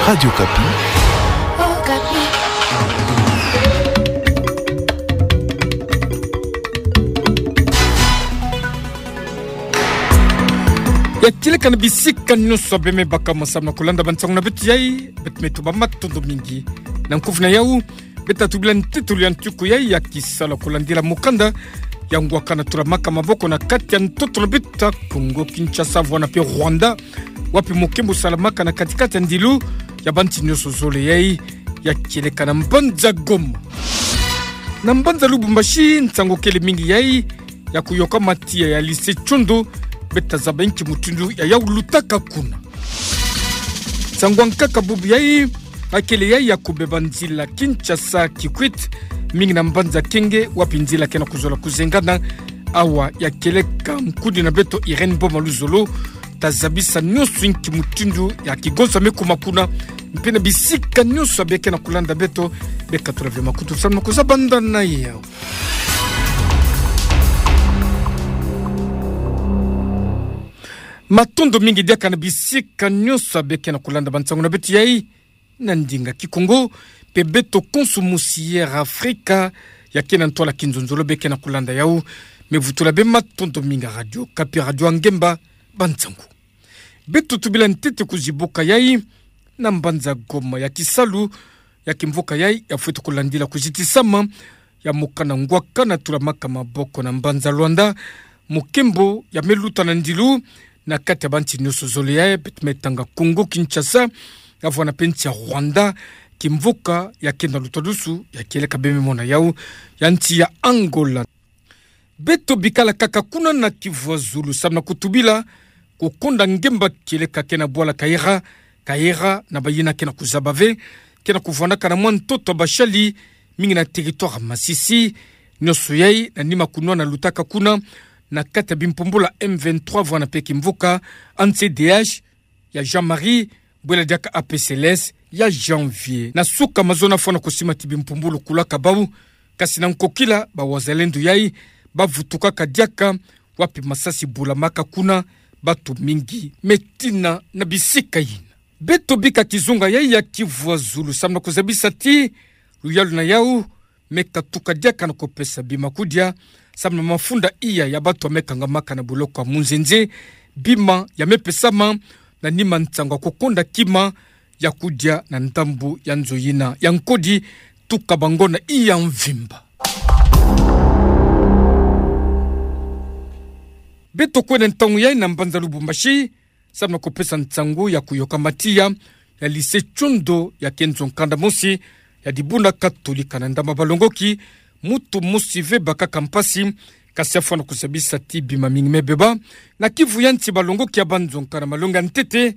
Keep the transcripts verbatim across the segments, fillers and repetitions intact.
Radio Okapi. Ya kieleka na bisika nyonso beme baka masamna kolanda bansango na beto yai, beto me tuba matondo mingi. Na nkufi na yau, beto tubila ntete luyanti yai ya kisalu kolandila mokanda ya ngwakana tulamaka maboko na kati ya ntoto na beto ya Kongo Kinshasa, vwala pe Rwanda, wapi mokembo salamaka na kati-kati ya ndilu ya banti nyonso zole yai, ya kieleka na mbanza Goma. Na mbanza Lubumbashi, nsango kele mingi yai ya kuyokama tiya ya lycée Tiondo, beto zaba nki mutindu ya yau lutaka kuna. Nsango ya nkaka bubu yai, akele yai ya kubeba nzila Kinshasa Kikwit, mingi na mbanza Kenge, wapi nzila ke na kuzola kuzengana. Awa ya kieleka nkudi na beto Irène Boma Luzolo, ta zabisa nyonso nki mutindu ya kigonsa me kuma kuna, mpe na bisika nyonso abe ke na kulanda beto, beka tula ve makutu samu na kuzaba ndana yau. Matondo mingi diaka na bisika nyonso abe ke na kulanda bansango na beto yai na ndinga Kikongo, mpe beto konso mosi ya Afrika ya ke na ntwala kinzonzolo be ke na kulanda yau. Me vutula be matondo mingi Radio Okapi, radio ya ngemba bansango. Beto tubila ntete kuzibuka yai na mbanza Goma ya kisalu ya kimvuka yai ya fwete kulandila kuzitisama ya mokana ngwakana tulamaka maboko na mbanza Luanda, mokembo ya me luta na ndilu na kati ya banti nyonso zole yai, beto me tanga Kongo Kinshasa, ya vwala pe nsi ya Rwanda, kimvuka ya ke na lutadusu ya kieleka beme mona yau, ya nsi ya Angola. Beto bikala kaka kuna na kivu ya zulu samu na kutubila kukonda ngemba kieleka ke na bwala Kaera, Kaera na bayina ke na kuzaba ve, ke na kuvwandaka na mwa ntoto ya bashali, mingi na territoire ya Masisi, nyonso yai na nima kunwana lutaka kuna na kati ya bimpumbulu ya M vingt-trois vwala pe kimvuka ya C D H ya Jean-Marie, bwela diaka A P C L S ya Janvier. Na suka mazono fwana kusimati bimpumbulu kulaka bau, kasi na nkokila ba wazalendo yai bavutukaka diaka, wapi masasi bulamaka kuna, bato mingi me tina na bisika yina. Beto bika kizunga yai ya kivu ya zulu samu na kuzabisa ti luyalu na yau me katuka diaka na kupesa bima kudia, samu na mafunda iya ya bato ya me kangamaka na boloko ya munzenze, bima ya me pesama na nima nsango ya kukonda kima ya kudia na ndambu ya nzo yina ya nkodi, tuka bangona iya mvimba. Beto kwenda ntangu yai na mbanza Lubumbashi, samu na kupesa nsango ya kuyoka matiya ya lycée Tiondo ya ke nzo-nkanda mosi ya dibundu katolika. Na ndambu ya balongoki, moto mosi ve bakaka mpasi, kasi afwana kuzabisa ti bima mingi me beba. Na kivu ya nsi, balongoki ya banzo-nkanda malongi ya ntete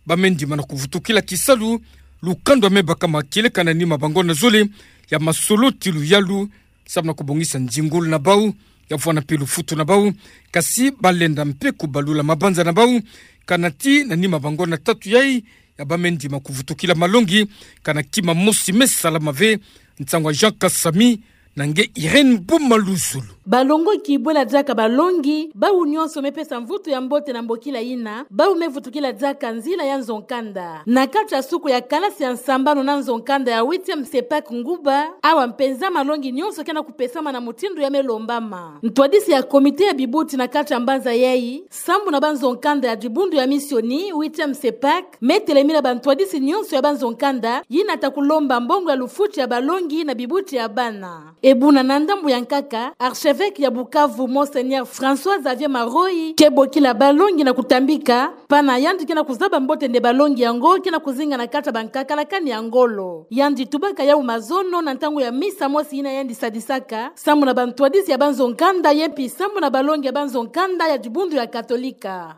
ba me ndima na kuvutukila kisalu, lukando ya me bakama kieleka na nima bangona zole ya masolo ti luyalu, samu na kubongisa nzingulu na bau, ya vwala pe lufutu na bau, kasi balenda mpe kubalula mabanza na bau, kana ti na nima bangona tatu yai ya ba me ndima kuvutukila malongi, kana kima mosi me salama ve. Nsango ya Jean Kasami na nge Irène Boma Luzolo. Balongoki bwela diaka balongi, bau nyonso me pesa mvutu ya mbote na mbokila yina, bau me vutukila diaka nzila ya nzo-nkanda. Na kati ya suku ya kalasi ya nsambanu na nzo-nkanda ya huitième CEPAC Nguba, awa mpenza malongi nyonso ke na kupesama na mutindu ya me lombama. Ntwadisi ya comité ya bibuti na kati ya mbanza yai, sambu na banzo-nkanda ya dibundu ya misioni, huitième CEPAC, me telemina bantwadisi nyonso ya banzo-nkanda yina ta kulomba mbongo ya lufuti ya balongi na bibuti ya bana. E buna na ndambu ya nkaka, archevêque ya Bukavu, Monseigneur François Xavier Maroyi, ke bokila balongi na kutambika, pana yandi ke na kuzaba mbote nde balongi yango ke na kuzinga na kati ya bankaka na kani ya ngolo. Yandi tubaka yau mazono na ntangu ya misa mosi yina yandi sadisaka, sambu na bantwadisi ya banzo-nkanda ye mpi sambu na balongi ya banzo-nkanda ya dibundu ya Katolika.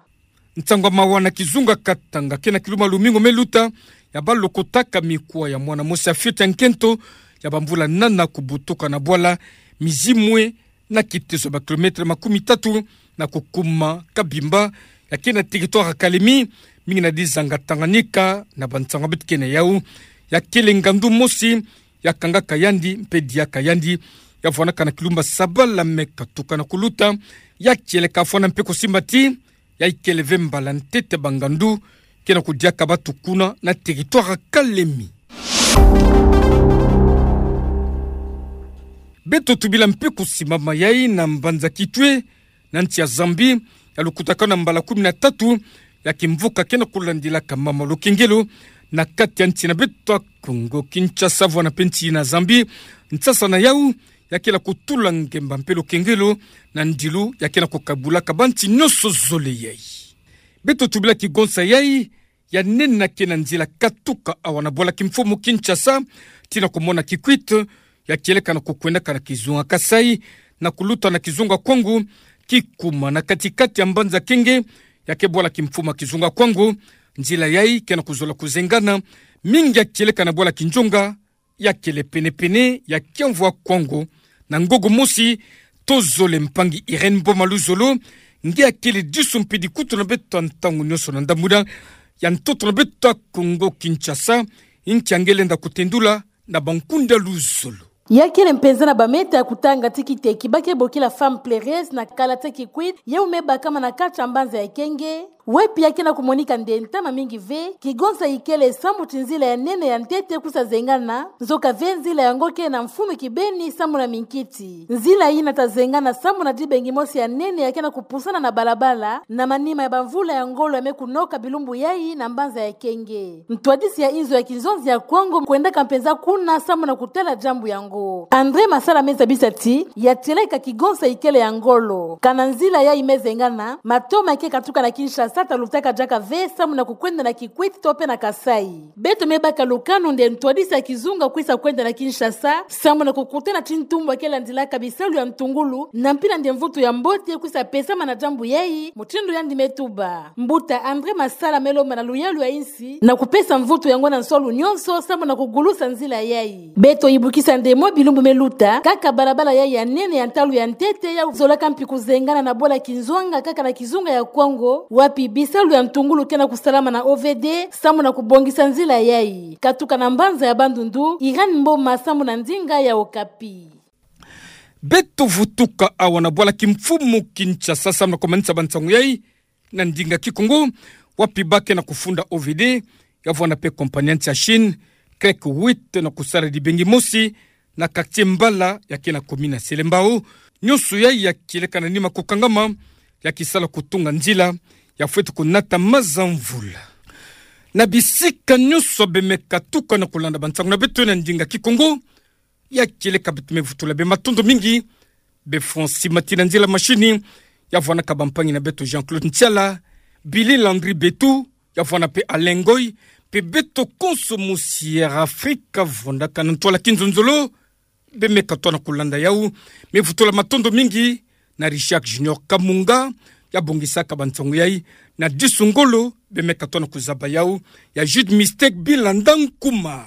Nsangu ya mawa na kizunga Katanga, ke na kilumba lumingu me luta, ya balokotaka mikwa ya mwana mosi ya fioti ya nkento ya bamvula nana kubutuka na bwala Mizimwe, na kiteso ba kilomètre makumi tatu na kukuma Kabimba, ya ke na territoire ya Kalemi, mingi na dizanga Tanganyika, na bansangu beto ke na yau. Ya kele ngandu mosi ya kangaka yandi mpe diaka yandi, ya vwanaka na kilumba Sabala me katuka na kuluta. Ya kieleka fwana mpe kusimba ti ya ikele ve mbala ntete bangandu ke na kudiaka batu kuna na territoire Kalemi. Beto tubila mpe kusimama yai na mbanza Kitwe, na nsi ya Zambie, ya lukutakanu na mbala kumi na tatu ya kimvuka ke na kulandilaka mama lukengelo na kati ya nsi na beto ya Kongo Kinshasa, vwena mpe nsi na Zambie. Nsasa na yau ya kele kutula ngemba mpe lukengelo na ndilu ya ke na kukabulaka bansi nyonso zole yai. Beto tubila kigonsa yai ya nene ya ke na nzila katuka awa na bwala kimfumu Kinshasa tii na kumona Kikwit, ya kieleka na kukwendaka na kizunga Kasaï, na kuluta na kizunga Kwango, kikuma na kati-kati ya mbanza Kenge, ya ke bwala kimfumu ya kizunga Kwango. Nzila yai ke na kuzola kuzengana, mingi ya kieleka na bwala Kinjonga, ya kele pene-pene ya kiamvu ya Kwango. Na ngugu mosi, tozole mpangi Irène Mboma Luzolo, nge ya kele disu mpe dikutu na beto ya ntangu nyonso na ndambu ya ntoto na beto ya Kongo Kinshasa, nki ya nge lenda kutendula na bankundu ya luzolo. Ya kele mpenza na bameta ya kutanga tii kiteki ba ke bokila femme pleureuses na kala tii Kikwit, yau me bakama na kati ya mbanza ya Kenge, wapi ya ke na kumonika nde ntama mingi ve, kigonsa ikele samu ti nzila ya nene ya ntete kwisa zengana, nzoka ve nzila yango ke na mfunu kibeni samu na minkiti. Nzila yina ta zengana samu na dibengi mosi ya nene ya ke na kupusana na balabala, na manima ya bamvula ya ngolo ya me kunoka bilumbu yai na mbanza ya Kenge. Ntwadisi ya inzo ya kinzonzi ya Kwango kwendaka mpenza kuna samu na kutala diambu yango. André Masala me zabisa ti, ya tieleka kigonsa ikele ya ngolo. Kana nzila yai me zengana, matoma ya ke katuka na Kinshasa ta lutaka diaka ve samu na kukwenda na Kikwit to mpe na Kasaï. Beto me baka lukanu nde ntwadisi ya kizunga kwisa kwenda na Kinshasa samu na kukutana ti ntumbu ya ke landilaka bisalu ya ntungulu, na mpila nde mvutu ya mbote kwisa pesama na diambu yai, mutindu yandi me tuba. Mbuta André Masala me lomba na luyalu ya insi na kupesa mvutu yango na nsolo nyonso samu na kugulusa nzila yai. Beto yibukisa nde mwa bilumbu me luta, kaka balabala yai ya nene ya ntalu ya ntete yau zolaka mpi kuzengana na bwala Kinzonga kaka na kizunga ya Kwango, wapi bisalu ya ntungulu ke na kusalama na O V D samu na kubongisa nzila yai. Katuka na mbanza ya Bandundu, Irène Mboma samu na ndinga ya Okapi. Beto vutuka awa na bwala kimfumu Kinshasa samu na kumanisa bansangu yai na ndinga Kikongo, wapi ba ke na kufunda O V D, ya vwena mpe compagnie ya nsi ya Chine, CREC huit, na kusala dibengi mosi na quartier Mbala ya ke na commune ya Selembao. Nyonso yai ya kieleka na nima kukangama ya kisala kutunga nzila ya fweti kunata maza mvula. Na bisika nyonso bemeka tuka na kulanda bansangu na beto na ndinga Kikongo, ya kieleka beto me vutula be matondo mingi, be Francis Matina Nzila Machini, ya vwanaka bampangi na beto Jean-Claude Ntiala, Billy Landry Betu, ya vwana mpe Alain Ngoy, mpe beto konso musi Air Afrika vandaka na ntwala kinzonzolo, bemeka tona kulanda yau. Me vutula matondo mingi na Richard Junior Kamunga, ya bongisaka bansangu yai, na disu ngolo, bemeka tona kuzaba yau, ya Jude Mistake Bilanda Nkuma.